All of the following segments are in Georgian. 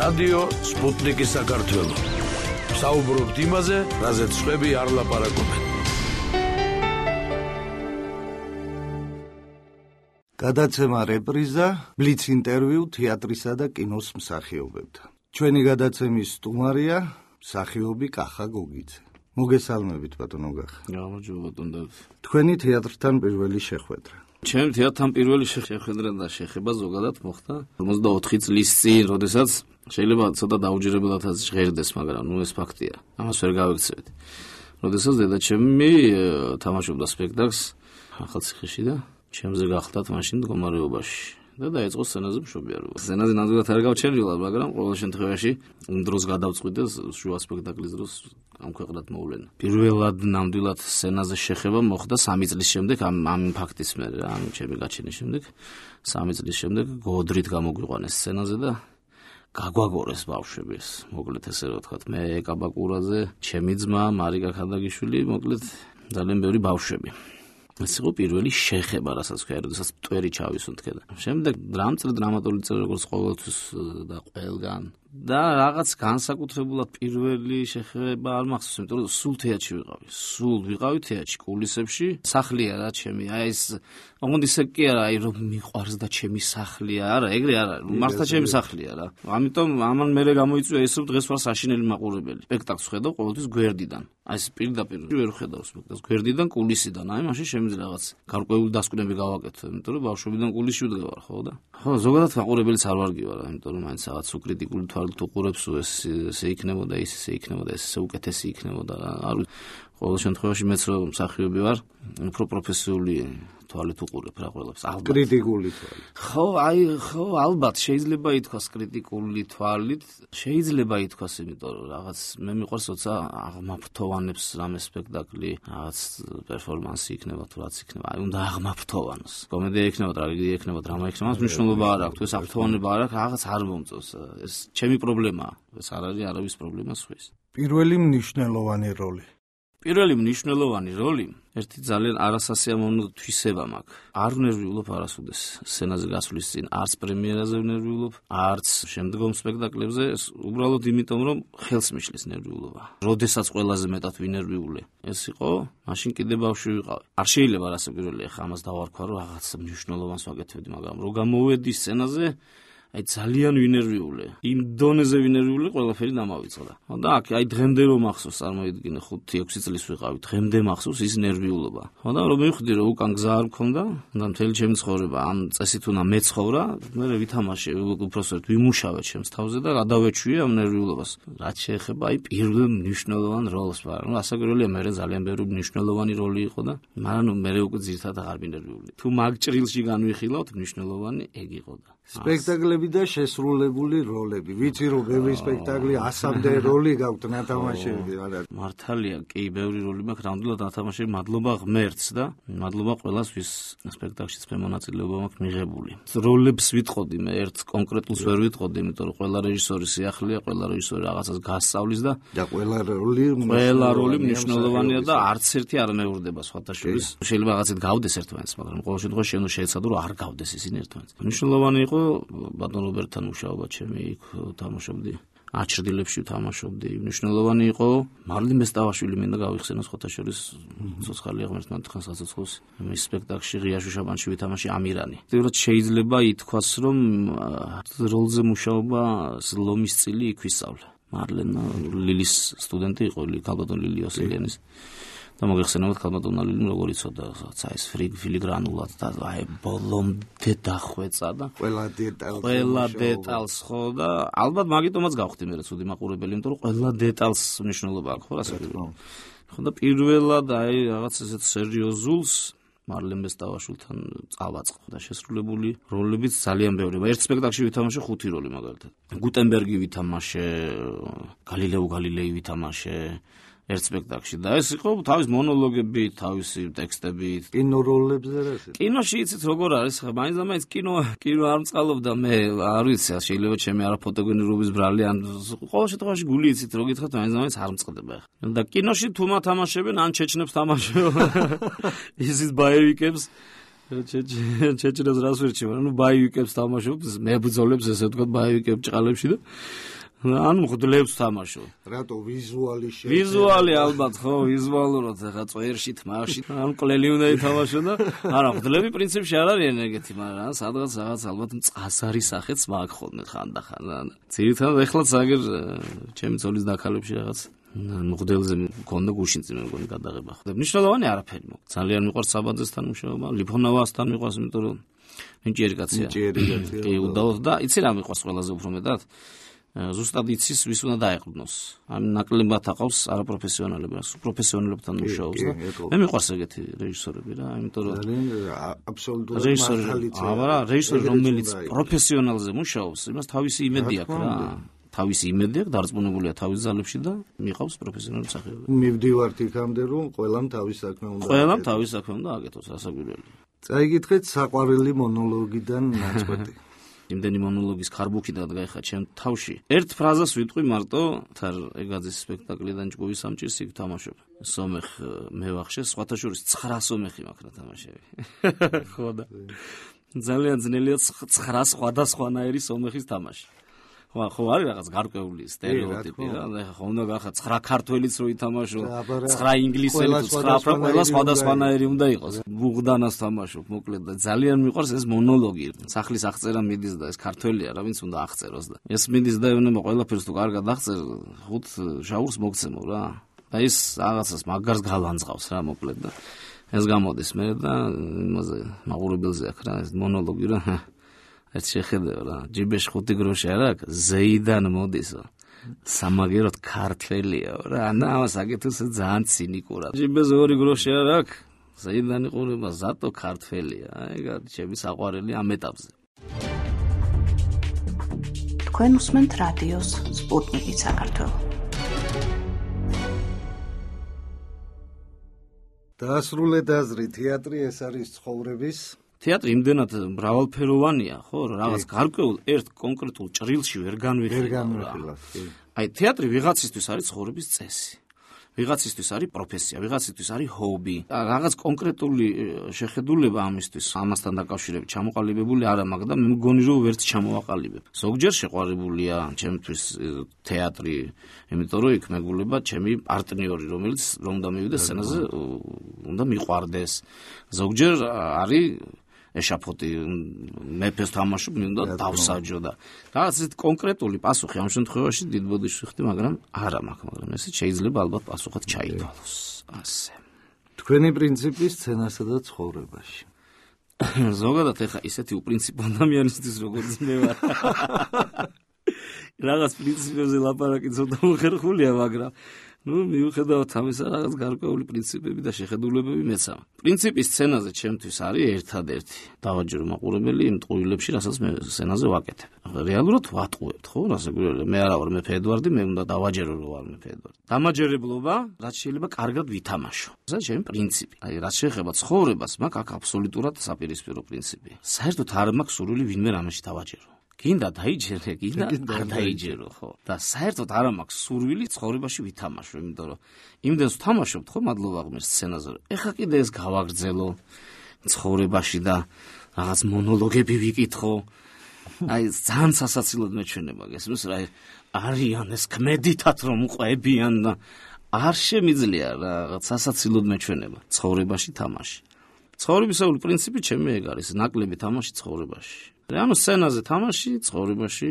რადიო სპუტნიკი საქართველო. საუბრობთ იმაზე, რაზეც სხვები არ ლაპარაკობენ. გადაცემა რეპრიზა, ბლიც ინტერვიუ თეატრისა და კინოს მსახიობებთან. ჩვენი გადაცემის სტუმარია მსახიობი კახა გოგიძე. მოგესალმებით ბატონო კახა. გამარჯობა ბატონო. თქვენი თეატრთან პირველი შეხვედრა. ჩემი თეატრთან პირველი შეხვედრა და შეხება ზოგადად მოხდა 54 წლის წინ, როდესაც შეიძლება ცოტა დაუჯერებლადაც ჟღერდეს, მაგრამ ეს ფაქტია. ამას ვერ გავიქცევით. როდესაც დედაჩემი თამაშობდა სპექტაკლს ახალციხეში და ჩემზე გახდათ მაშინ მდგომარეობაში და დაიწყო სცენაზე მშობიარობა. სცენაზე ნამდვილად არ გავჩერდილა, მაგრამ ყოველ შემთხვევაში დროს გადავწყვიტე შუა სპექტაკლის დროს ამ ქვეყნად მოვლენა. პირველად ნამდვილად სცენაზე შეხება მოხდა 3 წლის შემდეგ ამ ფაქტის მერე, ამ ჩემი გაჩენის შემდეგ. 3 წლის შემდეგ გოდრით გამოგვიყვანეს სცენაზე და გაგვაგორეს ბავშვები ეს. მოკლედ ესე რა ვთქვათ, მე კაბაკურაძე, ჩემი ძმა მარიკა ხადაგიშვილი, მოკლედ ძალიან ბევრი ბავშვები. ეს იყო პირველი შეხება, რასაც ქვია, როდესაც მტვერი ჩავისუნთქე და შემდეგ დრამატული დრამატული წერა როგორც ყოველთვის და ყველგან და რაღაც განსაკუთრებულად პირველი შეხება არ მახსოვს, იმიტომ რომ სულ თეატრში ვიყავი თეატრში, კულისებში, სახლია რა ჩემი, აი ეს ოღონდ ისე კი არა, აი რომ მიყვარს და ჩემი სახლია, არა, ეგრე არა, მართლა ჩემი სახლია რა. ამიტომ ამან მერე გამოიწვია ეს რომ დღეს ვარ საშინელი მაყურებელი. სპექტაკლს ხედავ ყოველთვის გვერდიდან. აი ეს პირდაპირ ვერ ხედავ სპექტაკლს გვერდიდან, კულისიდან. აი მაშინ შემიძლია რაღაც გარკვეული დასკვნები გავაკეთო, იმიტომ რომ ბავშვებიდან კულისში ვდგევარ, ხო და? ხო, ზოგადად მაყურებელიც არ ვარგივარ, იმიტომ რომ მაინც რაღაც უკრიტიკული თვალით უყურებს, ესე იქნებოდა, ესე იქნებოდა, ესე უკეთესი იქნებოდა. არ ყოველ შემთხვევაში მეც რომ მსახიობი ვარ, უფრო პროფესიული თვალით უყურებ რა ყველაფერს, ალბათ. კრიტიკული თვალით. ხო, ალბათ შეიძლება ითქვას კრიტიკული თვალით, შეიძლება ითქვას, იმიტომ რომ რაღაც მე მიყვარს როცა აღმაფრთოვანებს რამე სპექტაკლი, რაღაც პერფორმანსი იქნება თუ რაც იქნება, აი უნდა აღმაფრთოვანოს. კომედია იქნება, ტრაგედია იქნება, დრამა იქნება, მას მნიშვნელობა არ აქვს, ეს აფრთოვანება არ აქვს, რაღაც არ მომწონს. ეს ჩემი პრობლემაა, ეს არ არის არავის პრობლემა სხვის. პირველი მნიშვნელოვანი როლი. პირველი მნიშვნელოვანი როლი ერთი ძალიან არასასიამოვნო თვისება მაქვს. არ ვნერვიულობ არასოდეს სცენაზე გასვლის წინ, არც პრემიერაზე ვნერვიულობ, არც შემდგომ სპექტაკლებზე, უბრალოდ იმიტომ რომ ხელს მიშლის ნერვიულობა. როდესაც ყველაზე მეტად ვინერვიულე, ეს იყო, მაშინ კიდე ბავშვი ვიყავი. არ შეიძლება რასე პირველი ახლა ამას დავარქვა, რომ რაღაც მნიშვნელოვანს ვაკეთებდი, მაგრამ რო გამოვედი სცენაზე, აი ძალიან ვინერვიულე. იმ დონეზე ვინერვიულე, ყველაფერი დამავიწყდა. და აქ აი დღემდე რომ მახსოვს, წარმოიდგინე 5-6 წლის ვიყავი, დღემდე მახსოვს ის ნერვიულობა. და რომ მივხვდი რომ უკან გზა არ მქონდა, და მთელი ჩემი ცხოვრება ამ წესით უნდა მეცხოვრა, მე ვითამაშე უпроსტოდ ვიმუშავე ჩემს თავზე და გადავეჩვიე ამ ნერვიულობას. რაც შეეხება აი პირველ მნიშვნელოვან როლს, მაგრამ ასაკროლია მე ძალიან ბევრი მნიშვნელოვანი როლი იყო და მაგრამ მე უკვე ძირთადად აღარ ვინერვიული. თუ მაგ ჭრილში განვიხილავთ, მნიშვნელოვანი ეგ იყო და სპექტაკლები და შესრულებული როლები. ვიცი რომ ბევრი სპექტაკლი 100-მდე როლი გაქვთ ნათამაშები, არა. მართალია, კი, ბევრი როლი მაქვს, ნამდვილად ნათამაშები, მადლობა ღმერთს და მადლობა ყველას, ვის სპექტაკლშიც მე მონაწილეობა მაქვს მიღებული. როლებს ვიტყოდი, მე ერთ კონკრეტულს ვერ ვიტყოდი, იმიტომ რომ ყველა რეჟისორი სიახლეა, ყველა რეჟისორი რაღაცას გასწავლის და ყველა როლი მნიშვნელოვანია და არც ერთი არ მეურდება სხვათა შორის. შეიძლება რაღაცით გავდეს ერთმანეთს, მაგრამ ყოველ შემთხვევაში შენ შეეცადო რომ არ გავდეს ისინი ერთმანეთს. მნიშვნელოვანი იყო ბატონ რობერტთან მუშაობა ჩემი, იქ თამაშობდი. აჩრდილებში თამაშობდი. მნიშვნელოვანი იყო მარლინ ბესტავაშვილი მინდა გავიხსენო სხვათა შორის ცოცხალია ღმერთმა თხან საცოცხლოს მის სპექტაკლში ღია შუშაბანში ვითამაში ამირანი. თუმცა შეიძლება ითქვას რომ როლზე მუშაობა ლომის წილი იქვისავლა. მარლენა ლილის სტუდენტი იყო, ქალბატონ ლილი ოსელიანის. და მოგეხსენებათ ქალბატონა ლილიმ როგორ იცოდა საის ფილიგრანულად და აი ბოლომდე დახვეწა და ყველა დეტალს ხო და ალბათ მაგიტომაც გავხდი მე ცუდი მაყურებელი, იმიტომ რომ ყველა დეტალს მნიშვნელობა აქვს ხო რასაკეთებ. ხო და პირველად აი რაღაც ესეთ სერიოზულს მარლენ ბესტავაშვილთან წავაწყო და შესრულებული როლებიც ძალიან ბევრი. ერთ სპექტაკლში ვითამაშე 5 როლი მაგალითად. გუტენბერგი ვითამაშე, გალილეო გალილეი ვითამაშე ერთ სპექტაკლში და ეს იყო თავის მონოლოგებით, თავისი ტექსტებით. კინო როლებზე რა? კინოში იცით როგორ არის, ხა მაინც კინო არ მწყალობდა მე, არ ვიცი, შეიძლება ჩემი არაფოტოგენურობის ბრალი ან ყოველ შემთხვევაში გული იცით რო გითხრათ, მაინც არ მწყდება ხა. და კინოში თუ მათამაშებენ ან ჩეჩნებს თამაშობ. ისის ბაევიკებს ჩეჩნას რას ვერჩევ, ანუ ბაივიკებს თამაშობს, მებრძოლებს ესე ვთქვათ ბაივიკებს ჭყალებში და ანუ მღვდლებს თამაშობ. რატო ვიზუალი შეიძლება? ვიზუალი ალბათ ხო, ვიზუალურად ხა წვერში, თმაში, ანუ კლელი უნდა ითამაშო და არა, მღვდლები პრინციპში არ არიან ეგეთი, მაგრამ სადღაც რაღაც ალბათ მწასარი სახეც მაქვს ხოლმე ხანდახან. ძირითადად ეხლა ზაგერ ჩემი ძოლის დაქალებში რაღაც მღვდელზე მქონდა გუშინწი მე მგონი გადაღება. მნიშვნელოვანი არაფერი მო. ძალიან მიყვარს საბაძესთან მუშაობა, ლიფონოვასთან მიყვარს, იმიტომ რომ ნიჭიერი კაცია. კი, უდაოდ და იცი რა მიყვარს ყველაზე უფრო მეტად? ზუსტად იცის ვის უნდა დაეყრდნოს. ამ ნაკლებად აყავს არაპროფესიონალები, პროფესიონალებთან მუშაობს და მე მიყვარს ეგეთი რეჟისორები რა, იმიტომ რომ აბსოლუტურად მართალია. აბა რეჟისორი რომელიც პროფესიონალზე მუშაობს, იმას თავისი იმედი აქვს რა. თავისი იმედი აქვს, დარწმუნებულია თავის ძალებში და მიყავს პროფესიონალი მსახიობი. მივდივართ იქამდე რომ ყველამ თავის საქმე უნდა. ყველამ თავის საქმე უნდა აკეთოს, ასაგვირელი. წაიგითხეთ საყვარელი მონოლოგიდან ნაწყვეტი. იმდენი მონოლოგის ქარბუქიდან გაიხა ჩემ თავში. ერთ ფრაზას ვიტყვი მარტო თარ ეგაძის სპექტაკლიდან ჭკუვის სამჭირს იქ თამაშობ. სომეხ მევახშე, სხვათა შორის 9 სომეხი მაქვს რა თამაშები. ხო და ძალიან ძნელია 9 სხვადასხვანაირი სომეხის თამაში. ხო არის რაღაც გარკვეული სტერეოტიპი რა, ხო უნდა გახა 9 ქართველიც რო ითამაშო, 9 ინგლისელი, 9 ყველა სხვადასხვანაირი უნდა იყოს. ბუღდანას თამაშობ, მოკლედ და ძალიან მიყვარს ეს მონოლოგი. სახლის აღწერა მიდის და ეს ქართველია რა, ვინც უნდა აღწეროს და ეს მიდის და ეუბნება ყველაფერს თუ კარგად აღწერ, 5 შაურს მოგცემო რა. და ის რაღაცას მაგარს გალანძღავს რა, მოკლედ და ეს გამოდის მე და იმაზე მაყურებელზე აქ რა, ეს მონოლოგი რა. ეს შეხედე რა, ჯიბეში 5 გროში არ აქვს, ზეიდან მოდისო. სამაგეროდ ქართველია რა, ანა ამას აკეთოს ძალიან ცინიკურად. ჯიბეში 2 გროში არ აქვს, ზეიდან იყურება, ზატო ქართველია. ეგ არის ჩემი საყვარელი ამ ეტაპზე. თქვენ უსმენთ რადიოს სპუტნიკი საქართველო. დაასრულეთ აზრი, თეატრი ეს არის ცხოვრების თეატრი იმდენად მრავალფეროვანია, ხო, რაღაც გარკვეულ ერთ კონკრეტულ ჭრილში ვერ განვიხილავს. აი, თეატრი ვიღაცისთვის არის ცხოვრების წესი. ვიღაცისთვის არის პროფესია, ვიღაცისთვის არის ჰობი. რაღაც კონკრეტული შეხედულება ამისთვის, ამასთან დაკავშირებით ჩამოყალიბებული არ მაქვს და მე მგონი რომ ვერც ჩამოვაყალიბებ. ზოგჯერ შეყვარებულია ჩემთვის თეატრი, იმიტომ რომ იქ მეგულება ჩემი პარტნიორი, რომელიც რომ უნდა მივიდეს სცენაზე, უნდა მიყვარდეს. ზოგჯერ არის ეშაფოტი მეფეს თამაშობ, მე უნდა დავსაჯო და რაღაც ეს კონკრეტული პასუხი ამ შემთხვევაში დიდ ბოდიში ვიხდი, მაგრამ არა მაქვს, მაგრამ ესე შეიძლება ალბათ პასუხად ჩაითვალოს. ასე. თქვენი პრინციპი სცენასა და ცხოვრებაში. ზოგადად ეხა ისეთი უპრინციპო ადამიანისთვის როგორც მე ვარ. რაღაც პრინციპებზე ლაპარაკი ცოტა უხერხულია, მაგრამ მიუხედავად ამისა რაღაც გარკვეული პრინციპები და შეხედულებები მეც აქვს. პრინციპი სცენაზე ჩემთვის არის ერთადერთი. დავაჯერო მაყურებელი იმ ტყუილებში, რასაც მე სცენაზე ვაკეთებ. რეალურად ვატყუებთ, ხო? რასაკვირველია, მე არა ვარ მეფე ედვარდი, მე უნდა დავაჯერო რომ ვარ მეფე ედვარდი. დამაჯერებლობა, რაც შეიძლება კარგად ვითამაშო. ეს ჩემი პრინციპი. აი, რაც შეეხება ცხოვრებას, მაქვს აქ აბსოლუტურად საპირისპირო პრინციპი. საერთოდ არ მაქვს სურვილი ვინმე რამეში დავაჯერო. გინდა დაიჯერე, გინდა არ დაიჯერო, ხო? და საერთოდ არ მაქვს სურვილი ცხოვრებაში ვითამაშო, იმიტომ რომ იმდენს ვთამაშობთ, ხო, მადლობა ღმერთს სცენაზე. ეხა კიდე ეს გავაგრძელო ცხოვრებაში და რაღაც მონოლოგები ვიკითხო. აი, ძალიან სასაცილოდ მეჩვენება გესმის რა, არიან ეს ქმედითად რომ ყვებიან და არ შემიძლია რაღაც სასაცილოდ მეჩვენება ცხოვრებაში თამაში. ცხოვრებისეული პრინციპი ჩემი ეგ არის, ნაკლები თამაში ცხოვრებაში. ანუ სცენაზე თამაში, ცხოვრებაში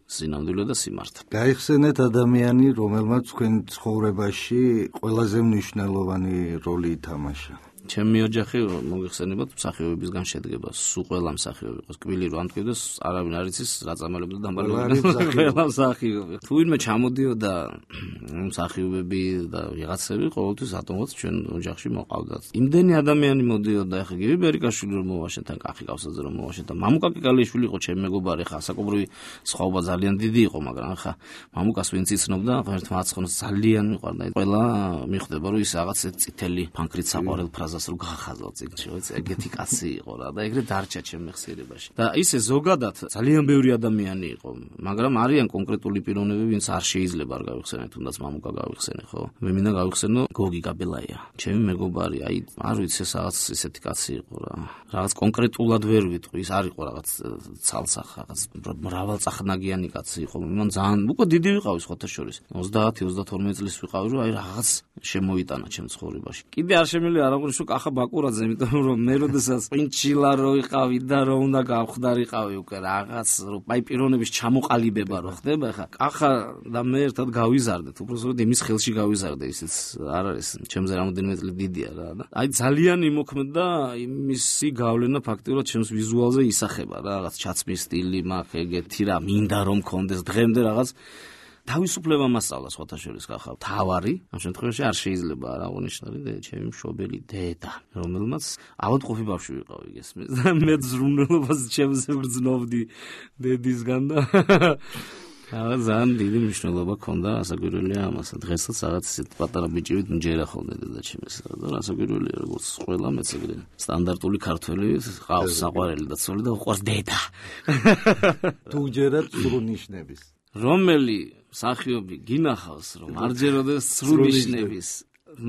სინამდვილე და სიმართლე. გაიხსენეთ ადამიანი, რომელმაც თქვენ ცხოვრებაში ყველაზე მნიშვნელოვანი როლი ითამაშა. ჩემი ოჯახი მოგიხსენებათ მსახიობებისგან შედგება, სულ ყველა მსახიობი იყოს, კბილი რო ამტკივდეს, არავინ არ იცის რა წამალებდა დამბალებდა, ყველა მსახიობი. თუ ვინმე ჩამოდიოდა მსახიობები და ვიღაცები, ყოველთვის ატომოთ ჩვენ ოჯახში მოყავდათ. იმდენი ადამიანი მოდიოდა, ახლა გივი ბერიკაშვილი რომ მოვაშენთან, კახი კავსაძე რომ მოვაშენთან, მამუკა კიკალიშვილი იყო ჩემი მეგობარი, ხა საკობრივი სხვაობა ძალიან დიდი იყო, მაგრამ ხა მამუკას ვინც იცნობდა, ღმერთმა აცხონოს ძალიან მიყვარდა. ყველა მიხვდება რომ ის რაღაც წითელი ფანქრით საყვარელ ფრაზას ხაზას რო გახაზავ წიგნში, ვიცი, ეგეთი კაცი იყო რა და ეგრე დარჩა ჩემ ხსიერებაში. და ისე ზოგადად ძალიან ბევრი ადამიანი იყო, მაგრამ არიან კონკრეტული პიროვნები, ვინც არ შეიძლება არ გავიხსენე, თუნდაც მამუკა გავიხსენე, ხო? მე მინდა გავიხსენო გოგი გაბელაია. ჩემი მეგობარი, აი, არ ვიცი, ეს რაღაც ისეთი კაცი იყო რა. რაღაც კონკრეტულად ვერ ვიტყვი, ის არ იყო რაღაც ცალსახ, რაღაც მრავალწახნაგიანი კაცი იყო. მან ძალიან უკვე დიდი ვიყავი სხვათა შორის. 30-32 წლის ვიყავი, რომ აი რაღაც შემოიტანა ჩემ ცხოვრებაში. კიდე არ შემიძლია არ აღვნიშნო კახა ბაკურაძე, იმიტომ რომ მე როდესაც პინჩილა რო იყავი და რო უნდა გავხდარიყავი უკვე რაღაც რო აი პიროვნების ჩამოყალიბება რო ხდება, ხა კახა და მე ერთად გავიზარდეთ, უბრალოდ იმის ხელში გავიზარდე, ისიც არ არის, ჩემზე რამოდენიმე წელი დიდია რა და აი ძალიან იმოქმედა იმისი გავლენა ფაქტიურად ჩემს ვიზუალზე ისახება რა, რაღაც ჩაცმის სტილი მაქვს ეგეთი რა, მინდა რომ მქონდეს დღემდე რაღაც თავისუფლება მასწავლა სხვათა შორის კახა. თავარი ამ შემთხვევაში არ შეიძლება არ აღნიშნული და ჩემი მშობელი დედა, რომელმაც ავადმყოფი ბავშვი ვიყავი გესმის და მე ზრუნველობას ჩემზე ვგრძნობდი დედისგან და ძალიან დიდი მნიშვნელობა ჰქონდა ასაგვირველია ამასა. დღესაც რაღაც ისეთ პატარა ბიჭივით მჯერა ხოლმე დედა ჩემს და ასაგვირველია როგორც ყველა მეც ეგრე სტანდარტული ქართველი ყავს საყვარელი და ცოლი და უყვარს დედა. თუ ჯერათ სრულნიშნების რომელი სახიობი გინახავს რომ არ ჯეროდეს სრულნიშნების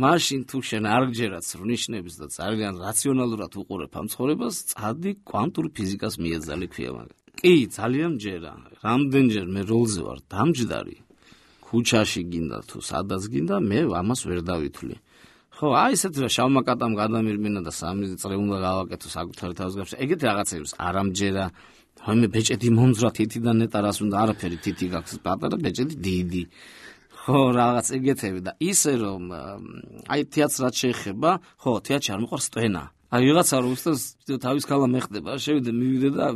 მაშინ თუ შენ არ გჯერათ სრულნიშნების და ძალიან რაციონალურად უყურებ ამ ცხოვრებას წადი კვანტურ ფიზიკას მიეძალი ქვია მაგ კი ძალიან ჯერა რამდენჯერ მე როლზე ვარ დამჯდარი ქუჩაში გინდა თუ სადაც გინდა მე ამას ვერ დავითვლი ხო აი ესეთ რა შავმა კატამ გადამირმინა და 3 წრე უნდა გავაკეთო საკუთარი თავს გაფშე ეგეთი რაღაცებს არ ამჯერა მე ბეჭედი მომძვრა თითიდან ნეტარას უნდა არაფერი თითი გაქვს პატარა ბეჭედი დიდი ხო რაღაც ეგეთები და ისე რომ აი თეატრს რაც შეეხება ხო თეატრში არ მიყვარს სტენა აი ვიღაცა რო უსწრებს თავის ქალა მეხდება შევიდე მივიდე და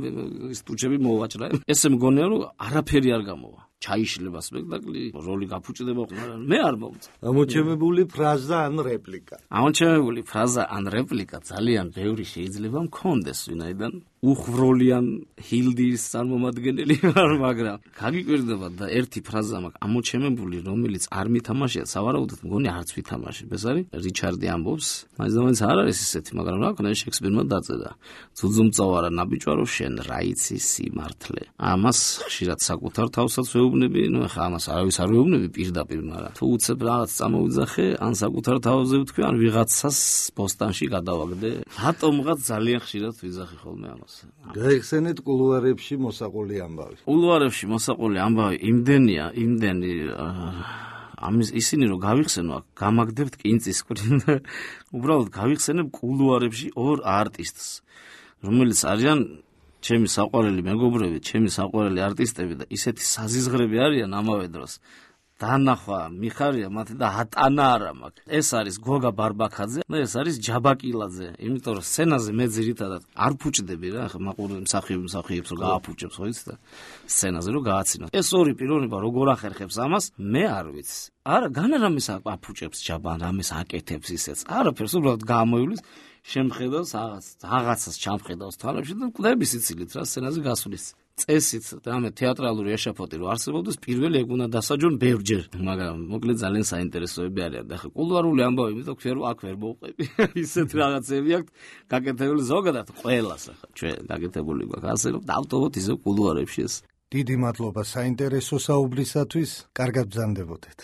ის ტუჩები მოვაჭრა ესე მგონია რომ არაფერი არ გამოვა ჩაიშლება სპექტაკლი როლი გაფუჭდება მაგრამ მე არ მომწ ამოჩემებული ფრაზა ან რეპლიკა ამოჩემებული ფრაზა ან რეპლიკა ძალიან ბევრი შეიძლება მქონდეს ვინაიდან უხროლიან ჰილდის წარმომადგენელი ვარ მაგრამ გაგიკვირდება და ერთი ფრაზა მაქვს ამოჩემებული რომელიც არ მითამაშია სავარაუდოდ მგონი არც ვითამაშებ ეს არის რიჩარდი ამბობს მაინც და მაინც არ არის ისეთი მაგრამ რა ქნა შექსპირმა დაწერა ძუძუმწოვარა ნაბიჯვარო შენ რა იცი სიმართლე ამას ხშირად საკუთარ თავსაც ვეუბნები ნუ ხა ამას არავის არ ვეუბნები პირდაპირ მაგრამ თუ უცებ რაღაც წამოვიძახე ან საკუთარ თავზე ვთქვი ან ვიღაცას პოსტანში გადავაგდე რატომღაც ძალიან ხშირად ვიძახი ხოლმე ამას გაიხსენეთ კულუარებში მოსაყოლი ამბავი. კულუარებში მოსაყოლი ამბავი იმდენია, იმდენი ამის ისინი რომ გავიხსენო, გამაგდებთ კინწის კვირინ. უბრალოდ გავიხსენებ კულუარებში ორ არტისტს, რომელიც არიან ჩემი საყვარელი მეგობრები, ჩემი საყვარელი არტისტები და ისეთი საზიზღრები არიან ამავე დროს. დანახვა მიხარია მათი და ატანა არა მაქვს. ეს არის გოგა ბარბაქაძე და ეს არის ჯაბაკილაძე. იმიტომ რომ სცენაზე მე ძირითადად არ ფუჭდები რა, ხა მაყურე მსახიობს რომ გააფუჭებს ხო იცი და სცენაზე რომ გააცინო. ეს ორი პიროვნება როგორ ახერხებს ამას, მე არ ვიცი. არა, განარამის აფუჭებს ჯაბან, რამეს აკეთებს ისეც. არაფერს უბრალოდ გამოივლის შემხედავს რაღაცას ჩამხედავს თვალებში და კვდები სიცილით რა სცენაზე გასulis. წესით და მე თეატრალური ეშაფოტი რო არსებობდეს პირველი ეგ უნდა დასაჯონ ბევრჯერ მაგრამ მოკლედ ძალიან საინტერესოები არიან და ხა კულუარული ამბავი მე თქვი რომ აქ ვერ მოვყვები ისეთ რაღაცები აქვს გაკეთებული ზოგადად ყველას ხა ჩვენ გაკეთებული გვაქვს ასე რომ დავტოვოთ ისე კულუარებში ეს დიდი მადლობა საინტერესო საუბრისათვის კარგად ბრძანდებოდეთ